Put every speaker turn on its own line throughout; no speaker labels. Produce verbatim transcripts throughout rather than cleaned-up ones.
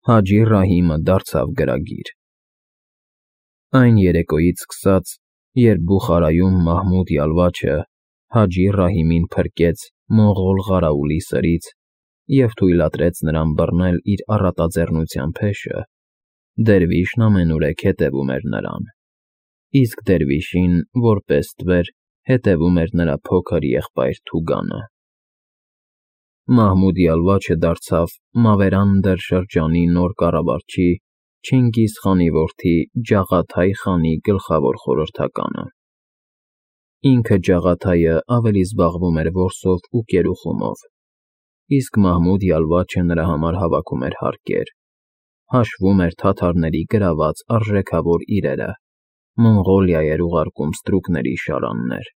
Հաջի Ռահիմը դարձավ գրագիր։ Այն երեկոյից սկսած, երբ Բուխարայում Մահմուդ Յալվաչը Հաջի Ռահիմին փրկեց մոնղոլ ղարաուլի սրից և թույլատրեց նրան բռնել իր առատաձեռնության փեշը, դերվիշն ամենուրեք հետևում էր նրան, իսկ դերվիշին, որպես ստվեր, հետևում էր նրա փոքր եղբայր Թուգանը։ Մահմուդ Յալվաչը դարձավ Մավերանդեր շրջանի նոր կառավարչի Չինգիզ խանի որդի Ջաղաթայ խանի գլխավոր խորհրդականը։ Ինքը Ջաղաթայը ավելի զբաղվում էր որսով ու կերուխումով, իսկ Մահմուդ Յալվաչը նրա համար հավաքում էր հարկեր, հաշվում էր թաթարների գրաված արժեքավոր իրերը, Մոնղոլիա էր ուղարկում ստրուկների շարաններ,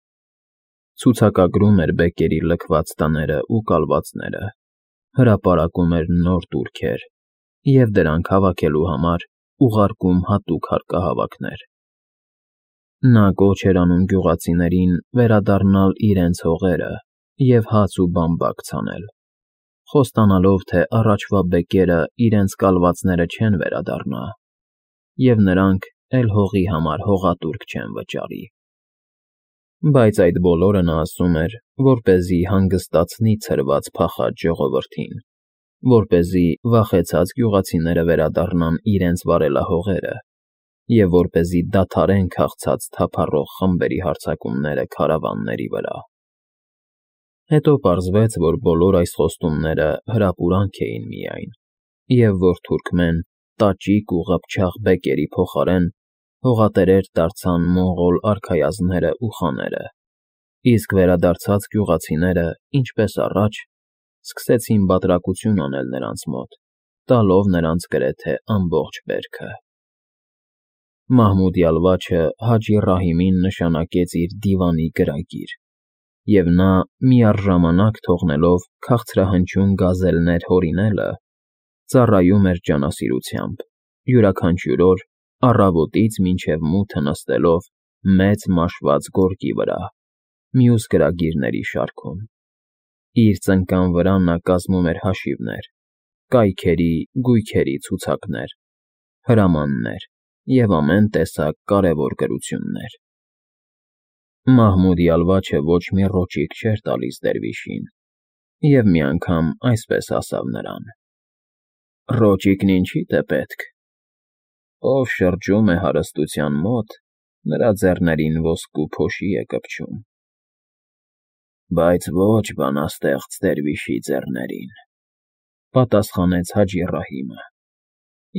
ցուցակագրում էր բեկերի լքված տները ու կալվածները, հրապարակում էր նոր տուրքեր և դրանք հավաքելու համար ուղարկում հատուկ հարկահավաքներ։ Նա կոչ էր անում գյուղացիներին վերադառնալ իրենց հողերը և հաց ու բամբակ ցանել, խոստանալով, թե առաջվա բեկերը իրենց կալվածները չեն վերադառնա, և նրանք էլ հողի համար հողատուրք չեն վճարի։ Բայց այդ բոլորը նա ասում էր, որպեսզի հանգստացնի ցրված փախած ժողովրդին, որպեսզի վախեցած գյուղացիները վերադառնան իրենց վարելահողերը և որպեսզի դադարեն քաղցած թափառող խմբերի հարձակումները քարավանների վրա։ Հետո պարզվեց, որ բոլոր այս խոստումները հրապուրանք էին միայն, և որ թուրքմեն, տաճիկ ու ղփչաղ բեկերի փոխարեն հողատերեր դարձան մոնղոլ արքայազնները ու խաները, իսկ վերադարձած գյուղացիները, ինչպես առաջ, սկսեցին բատրակություն անել նրանց մոտ, տալով նրանց գրեթե ամբողջ բերքը։ Մահմուդ Յալվաչը Հաջի Ռահիմին նշանակեց իր դիվանի գրագիր, և նա, միառժամանակ թողնելով քաղցրահնչյուն գազելներ հորինելը, ծառայում էր ջանասիրությամբ, յուրաքանչյուր օր, առավոտից մինչև մութը նստելով մեծ մաշված գորգի վրա, մյուս գրագիրների շարքում։ Իր ծնկան վրա նա կազմում էր հաշիվներ, կայքերի, գույքերի ցուցակներ, հրամաններ և ամեն տեսակ կարևոր գրություններ։ Մահմուդ Յալվաչը ոչ մի ռոճիկ չէր տալիս դերվիշին, և մի անգամ այսպես ասավ նրան. «Ռոճիկն ինչի՞դ է պետք. ով շրջում է հարստության մոտ, նրա ձեռներին ոսկու փոշի է կպչում»։ «Բայց ոչ բանաստեղծ դերվիշի ձեռներին», պատասխանեց Հաջի Ռահիմը։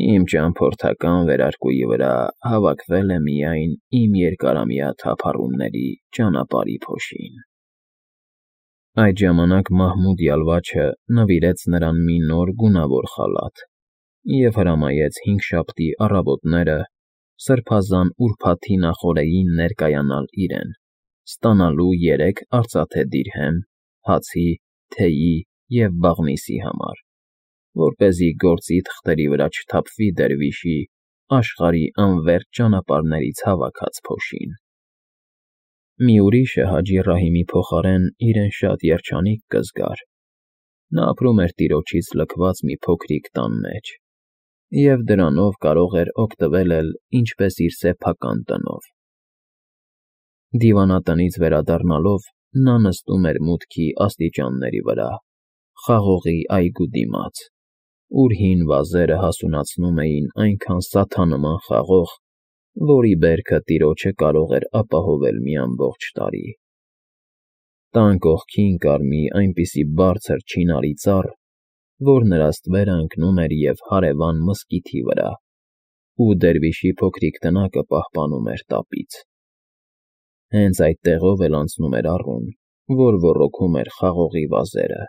«Իմ ճամփորդական վերարկուի վրա հավաքվել է միայն իմ երկարամյա թափառումների ճանապարհի փոշին»։ Այդ ժամանակ Մահմուդ Յալվաչը նվիրեց նրան մի նոր գունավոր խալաթ և հրամայեց հինգշաբթի առավոտները սրբազան ուրբաթի նախօրեին ներկայանալ իրեն, ստանալու երեք արծաթե դիրհեմ հացի, թեյի և բաղնիցի համար, որպեսզի գործի թղթերի վրա չթափվի դերվիշի աշխարհի անվերջ ճանապարհներից հավաքած փոշին։ Մի ուրիշը Հաջի Ռահիմի փոխարեն իրեն շատ երջանիկ կզգար. նա ապրում էր տիրոջից լքված մի փոքրիկ տան մեջ, և դրանով կարող էր օգտվել էլ ինչպես իր սեփական տնով։ Դիվանատնից վերադառնալով նա նստում էր մուտքի աստիճանների վրա, խաղողի այգու դիմաց, ուր հին վազերը հասունացնում էին այնքան սաթանման խաղող, որի բերքը տիրոջը կարող էր ապահովել մի ամբողջ տարի։ Տան կողքին կար մի այնպիսի բարձր չինարի ծառ, որ նրա ստվերը ընկնում էր և հարևան մզկիթի վրա, ու դերվիշի փոքրիկ տնակը պահպանում էր տապից։ Հենց այդ տեղով էլ անցնում էր առուն, որ ոռոգում էր խաղողի վազերը,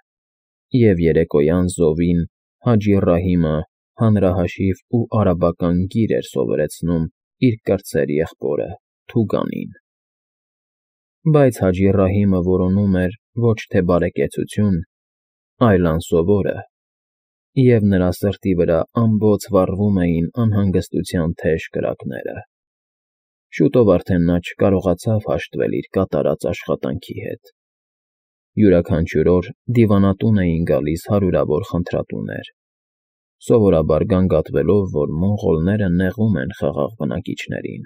և երեկոյան զովին Հաջի Ռահիմը հանրահաշիվ ու արաբական գիր էր սովորեցնում իր կրտսեր եղբորը Թուգանին։ Բայց Հաջի Ռահիմը որոնում էր ոչ թե բարեկեցություն, այլ անսովորը, և նրա սրտի վրա ամբոց վառվում էին անհանգստության թեժ կրակները։ Շուտով արդեն նա չկարողացավ հաշտվել իր կատարած աշխատանքի հետ։ Յուրաքանչյուր օր դիվանատուն էին գալիս հարյուրավոր խնդրատուներ, սովորաբար գանգատվելով, որ մոնղոլները նեղում են խաղաղ բնակիչներին։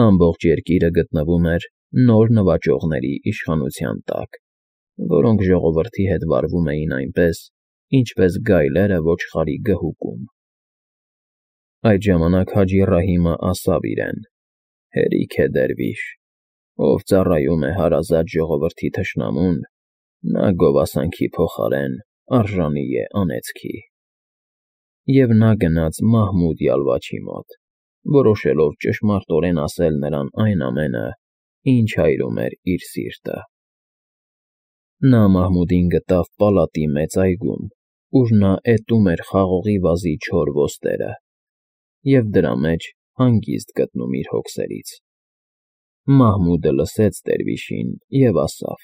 Ամբողջ երկիրը գտնվում էր նոր նվաճողների իշխանության տակ, որոնք ժողովրդի հետ վարվում էին այնպես, ինչպես գայլերը ոչխարի գհուկում։ Այդ ժամանակ Հաջի Ռահիմը ասավ իրեն. «Հերիք է դերվիշ, ով ծառայում է հարազատ ժողովրդի թշնամուն, նա գովասանքի փոխարեն արժանի է անեծքի»։ Եվ նա գնաց Մահմուդ Յալվաչի մոտ, որոշելով ճշմարտորեն ասել նրան այն ամենը, ինչ հայրում էր իր սիրտը։ Նա Մահմուդին գտավ պալատի մեծ այգում, ուր նա էտում էր խաղողի վազի չոր ոստերը և դրա մեջ հանգիստ գտնում իր հոգսերից։ Մահմուդը լսեց դերվիշին և ասավ.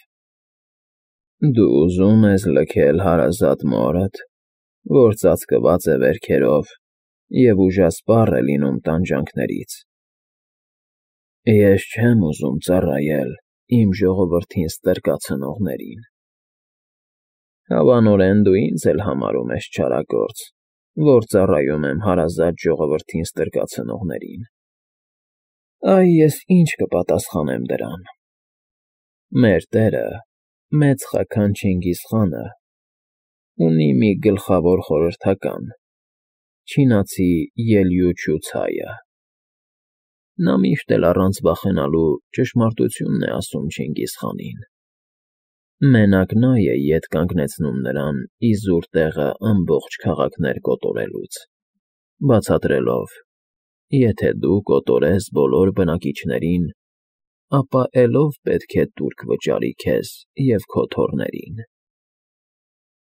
«Դու ուզում ես լքել հարազատ մորդ, որ ծածկված է վերքերով և ուժասպառ է լինում տանջանքներից։ Ես չեմ ուզում ծառայել իմ ժողովրդին ստրկացնողներին։ Հավանորեն դու ինձ էլ համարում ես չարագործ, որ ծառայում եմ հարազատ ժողովրդին ստրկացնողներին։ Այ ես ինչ կպատասխանեմ դրան։ Մեր տերը, մեծ խաքան Չինգիզխանը, ունի մի գլխավոր խորհրդական՝ չինացի Ելյուչու Ցայը։ Նա միշտ էլ առանց վախենալու ճշմարտությունն է ասում Չինգիզխանին։ Մենակ նա է ետ կանգնեցնում նրան իզուր տեղը ամբողջ քաղաքներ կոտորելուց, բացատրելով. «Եթե դու կոտորես բոլոր բնակիչներին, ապա էլով պետք է տուրք վճարի քեզ և քո թոռներին»։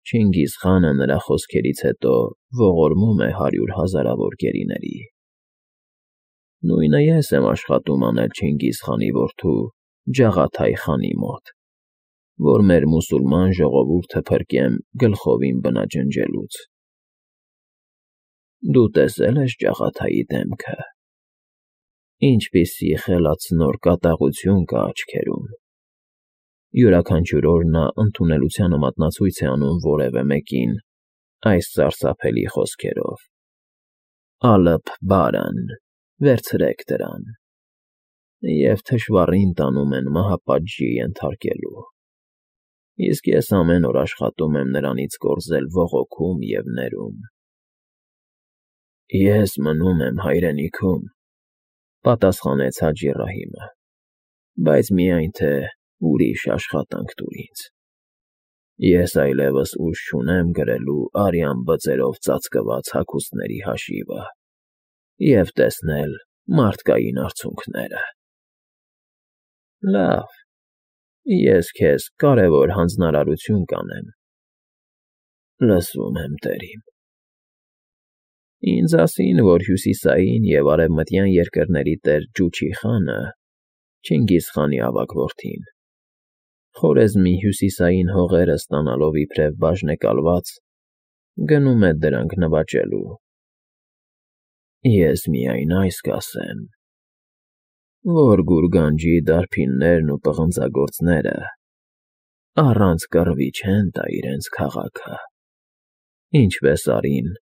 Չինգիզխանը նրա խոսքերից հետո ողորմում է հարյուր հազարավոր գերիների։ Նույնը ես եմ աշխատում անել Չինգիզխանի որդու Ջաղաթայ խանի մոտ, որ մեր մուսուլման ժողովուրդը փրկեմ գլխովին բնաջնջելուց։ Դու տեսե՞լ ես Ջաղաթայի դեմքը, ինչպիսի խելացնոր կատաղություն կա աչքերում։ Յուրաքանչյուր օր նա ընդունելությանը մատնացույց է անում որևէ մեկին այս սարսափելի խոսքերով. «Ալըփ բարան, վերցրեք դրան», և թշվառին տանում են մահապատժի ենթարկելու։ Իսկ ես ամեն օր աշխատում եմ նրանից կորզել ողոքում և ներում։ Ես մնում եմ հայրենիքում, պատասխանեց Հաջի Ռահիմը, բայց միայն թե ուրիշ աշխատանք տուր ինձ։ Ես այլևս ուժ չունեմ գրելու արյան բծերով ծածկված հագուստների հաշիվը և տեսնել մարդկային արցունքները։ Լավ, ես քեզ կարևոր հանձնարարություն կանեմ։ Լսում եմ, տերիմ։ Ինձ ասին, որ Հյուսիսային և Արևմտյան երկրների տեր Ջուչի խանը, Չինգիզխանի ավագ որդին, Խորեզմի հյուսիսային հողերը ստանալով իբրև բաժնեկալված, գնում է դրանք նվաճելու։ Ես միայն այս կասեմ, որ Գուրգանջի դարբիններն ու պղնձագործները առանց կռվի չեն տա իրենց քաղաքը, ինչպես արին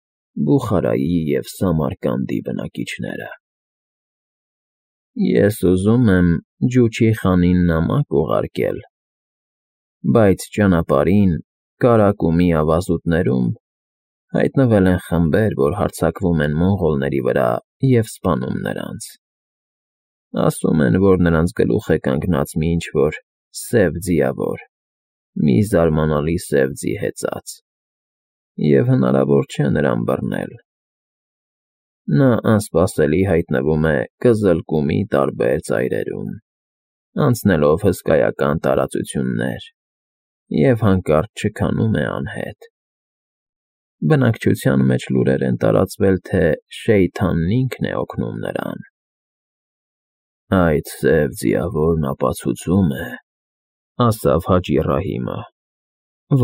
Բուխարայի և Սամարկանդի բնակիչները։ Ես ուզում եմ Ջուչի խանին նամակ ուղարկել, բայց ճանապարհին Կարակումի ավազուտներում հայտնվել են խմբեր, որ հարձակվում են մոնղոլների վրա և սպանում նրանց։ Ասում են, որ նրանց գլուխ է կանգնած մի ինչ֊որ սև ձիավոր, մի զարմանալի սև ձի հեծած, և հնարավոր չէ նրան բռնել։ Նա անսպասելի հայտնվում է Կզլկումի տարբեր ծայրերում, անցնելով հսկայական տարածություններ, և հանկարծ չքանում է անհետ։ Բնակչության մեջ լուրեր են տարածվել, թե Շեյթանն ինքն է օգնում նրան։ Այդ սև ձիավորն ապացուցում է, ասավ Հաջի Ռահիմը,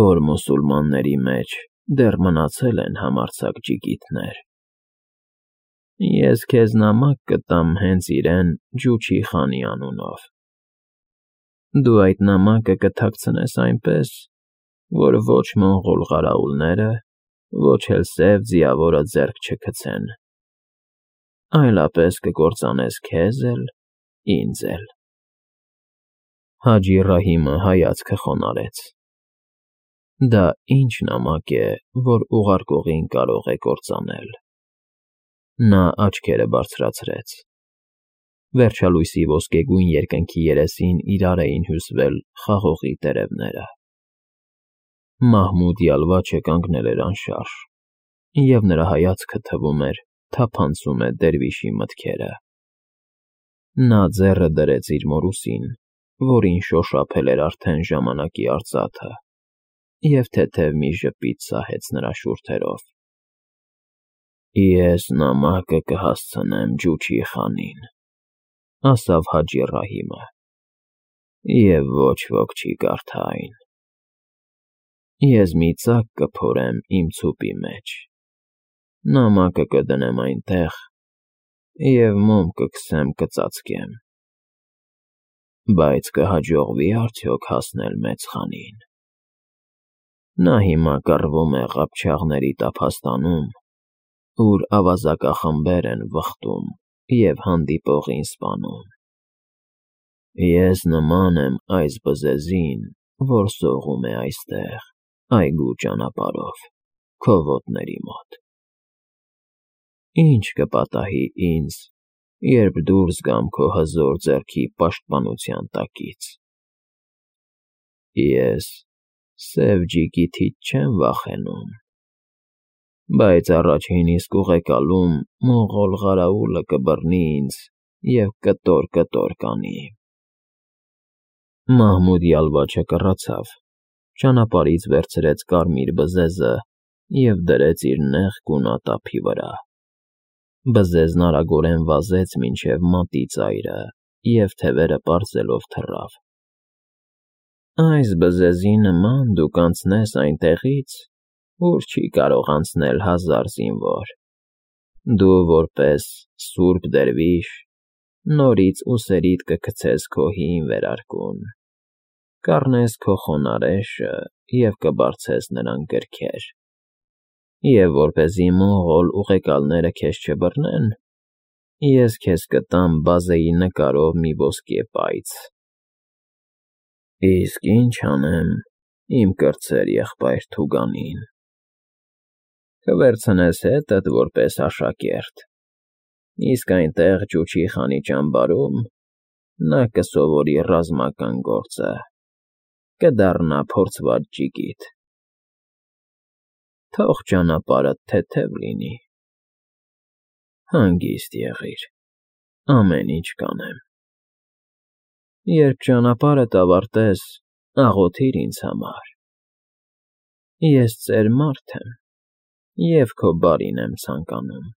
որ մուսուլմանների մեջ դեռ մնացել են համարձակ ջիգիտներ։ Ես քեզ նամակ կտամ հենց իրեն Ջուչի խանի անունով։ Դու այդ նամակը կթաքցնես այնպես, որ ոչ մոնղոլ ղարաուլները ոչ էլ սև ձիավորը ձեռք չգցեն, այլապես կկործանես քեզ էլ, ինձ էլ։ Հաջի Ռահիմը հայացքը խոնարհեց։ Դա ինչ նամակ է, որ ուղարկողին կարող է կործանել։ Նա աչքերը բարձրացրեց։ Վերջալույսի ոսկեգույն երկնքի երեսին իրար էին հյուսվել խաղողի տերևները։ Մահմուդ Յալվաչը կանգնել էր անշարժ, և նրա հայացքը, թվում էր, թափանցում է դերվիշի մտքերը։ Նա ձեռը դրեց իր մորուսին, որին շոշափել էր արդեն ժամանակի արծաթը, և թեթև մի ժպիտ սահեց նրա շուրթերով։ «Ես նամակը կհասցնեմ Ջուչի խանին,֊ ասավ Հաջի Ռահիմը,֊ և ոչ ոք չի կարդա այն։ Ես մի ծակ կփորեմ իմ ցուպի մեջ, նամակը կդնեմ այնտեղ և մոմ կքսեմ կծածկեմ։ Բայց կհաջողվի՞ արդյոք հասնել մեծ խանին։ Նա հիմա կռվում է Ղափչաղների տափաստանում, ուր ավազակախմբեր են վխտում և հանդիպողին սպանում։ Ես նման եմ այս բզեզին, որ սողում է այստեղ, այգու ճանապարհով, քո ոտների մոտ։ Ի՞նչ կպատահի ինձ, երբ դուրս գամ քո հզոր ձեռքի պաշտպանության տակից։ Ես սև ջիգիթից չեմ վախենում, բայց առաջին իսկ ուղեկալում մոնղոլ ղարահուլը կբռնի ինձ և կտոր֊կտոր կանի»։ Մահմուդ Յալվաչը կռացավ, ճանապարհից վերցրեց կարմիր բզեզը և դրեց իր նեղ գունատ ափի վրա։ Բզեզն արագորեն վազեց մինչև մատի ծայրը և թևերը պարզելով թռավ։ «Այս բզեզի նման դուք անցնես այնտեղից, ուր չի կարող անցնել հազար զինվոր, դու որպես սուրբ դերվիշ նորից ուսերիդ կգցես քո հին վերարկուն, կառնես քո խոնարհեշը և կբարձես նրան գրքեր, և որպեսզի մոնղոլ ուղեկալները քեզ չբռնեն, ես քեզ կտամ բազեի նկարով մի ոսկե պայծ։ Իսկ ի՞նչ անեմ իմ կրտսեր եղբայր Թուգանին։ Կվերցնես հետդ որպես աշակերտ, իսկ այնտեղ Ջուչի խանի ճամբարում նա կսովորի ռազմական գործը, կդառնա փորձված ջիգիթ։ Թող ճանապարհդ թեթև լինի։ Հանգիստ եղիր, ամեն ինչ կանեմ։ Երբ ճանապարհդ ավարտես, աղոթիր ինձ համար։ Ես ծեր մարդ եմ և քո բարին եմ ցանկանում։